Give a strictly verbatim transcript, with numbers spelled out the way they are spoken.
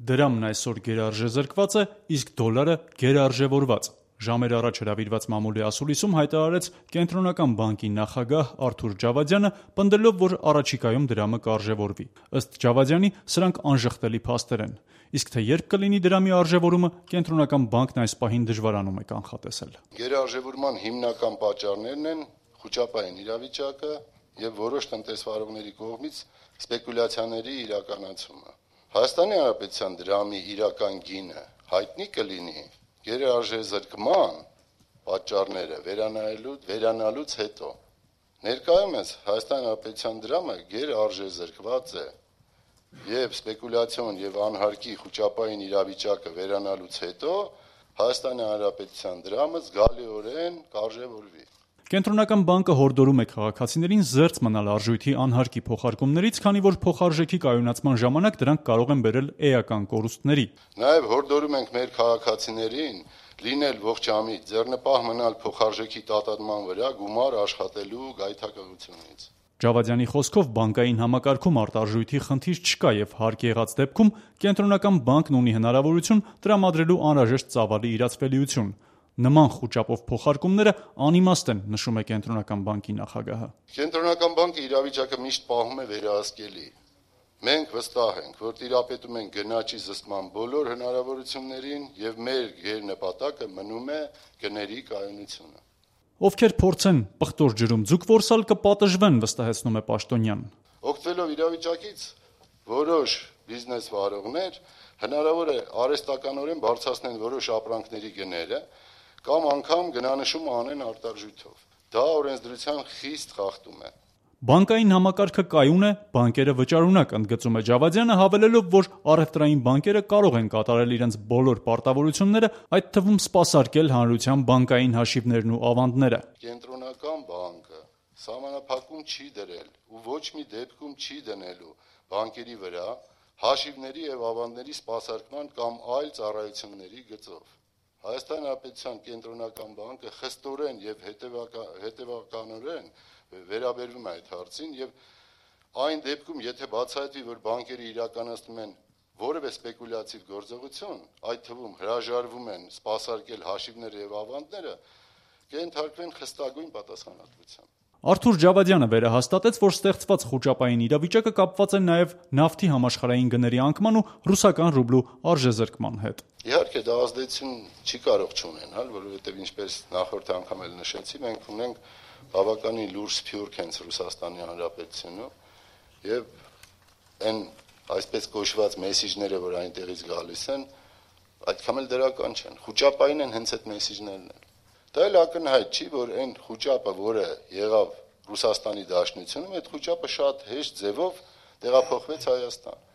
Դրամն այսօր գերարժեզրկված է, իսկ դոլարը գերարժևորված։ Ժամեր առաջ հրավիրված մամուլի ասուլիսում հայտարարեց Կենտրոնական բանկի նախագահ Արթուր Ջավադյանը, պնդելով, որ առաջիկայում դրամը կարժևորվի։ Ըստ Ջավադյանի, սրանք անժխտելի փաստեր են։ Իսկ թե երբ կլինի դրամի արժևորումը, Կենտրոնական բանկն այս պահին դժվարանում է կանխատեսել։ Գերարժևորման հիմնական պատճառներն են խուճապային իրավիճակը եւ որոշ տնտեսվարողների կողմից սպեկուլյացիաների իրականացումը։ Հայաստանի Հանրապետության դրամի իրական գինը հայտնի կլինի գերարժեզրկման պատճառները վերանայելու վերանալուց հետո։ Ներկայումս Հայաստանի Հանրապետության դրամը գերարժեզրկված է եւ սպեկուլյացիոն եւ անհարկի խուճապային իրավիճակը վերանալուց հետո Հայաստանի Հանրապետության դրամը զգալիորեն կարժևորվի։ Կենտրոնական բանկը հորդորում է քաղաքացիներին զերծ մնալ արժույթի անհարկի փոխարկումներից, քանի որ փոխարժեքի կայունացման ժամանակ դրանք կարող են բերել էական կորուստների։ Նաև հորդորում ենք մեր քաղաքացիներին լինել ողջամիտ, ձեռնպահ մնալ փոխարժեքի տատանման վրա գումար աշխատելու գայթակղությունից։ Ջավադյանի խոսքով բանկային համակարգում արտարժույթի խնդիր չկա եւ հարկ եղած դեպքում Կենտրոնական բանկն ունի հնարավորություն տրամադրելու անհրաժեշտ ծավալի իրացվելիություն։ Նման խուճապով փոխարկումները անիմաստ են, նշում է Կենտրոնական բանկի նախագահը։ Կենտրոնական բանկը իրավիճակը միշտ պահում է վերահսկելի։ Մենք վստահ ենք, որ տիրապետում ենք գնաճի զսպման բոլոր հնարավորություններին եւ մեր գերնպատակը մնում է գների կայունությունը։ Ովքեր փորձեն պղտոր ջրում ձուկ որսալ կպատժվեն, վստահեցնում է Պաշտոնյանն։ Օգտվելով իրավիճակից որոշ բիզնես վարողներ հնարավոր է արհեստականորեն բարձրացնեն որոշ ապրանքների գները կամ անգամ գնանշում անեն արտարժույթով։ Դա օրենսդրության խիստ խախտում է։ Բանկային համակարգը կայուն է, բանկերը վճարունակ, ընդգծում է Ջավադյանը, հավելելով, որ առևտրային բանկերը կարող են կատարել իրենց բոլոր պարտավորությունները, այդ թվում սպասարկել հանրության բանկային հաշիվներն ու ավանդները։ Կենտրոնական բանկը սահմանափակում չի դրել ու ոչ մի դեպքում չի դնելու բանկերի վրա հաշիվների եւ ավանդների սպասարկման կամ այլ ծառայությունների գծով։ Հայաստանի Հանրապետության Կենտրոնական բանկը խստորեն եւ հետեւականորեն վերաբերվում է այդ հարցին եւ այն դեպքում, եթե բացահայտվի, որ բանկերը իրականացնում են որևէ սպեկուլյատիվ գործողություն, այդ թվում հրաժարվում են սպասարկել հաշիվները եւ ավանդները, կենթարկվեն խստագույն պատասխանատվության։ Արթուր Ջավադյանը վերահաստատեց, որ ստեղծված խուճապային իրավիճակը կապված է նաև նավթի համաշխարհային գների անկման ու ռուսական ռուբլու արժեզրկման հետ։ Իհարկե դա ազդեցություն չի կարող չունենալ, որովհետև ինչպես նախորդ անգամ էլ նշեցի, մենք ունենք բավականին լուրջ սփյուռք հենց Ռուսաստանի Հանրապետությունում եւ այն այսպես կոչված մեսիջները, որ այնտեղից գալիս են, այդքան էլ դրական չեն։ Խուճապային են հենց այդ մեսիջներն են։ Դա էլ ակնհայտ չի, որ այն խուճապը, որը եղավ Ռուսաստանի Դաշնությունում, այդ խուճապը շատ հեշտ ձևով տեղափոխվեց Հայաստան։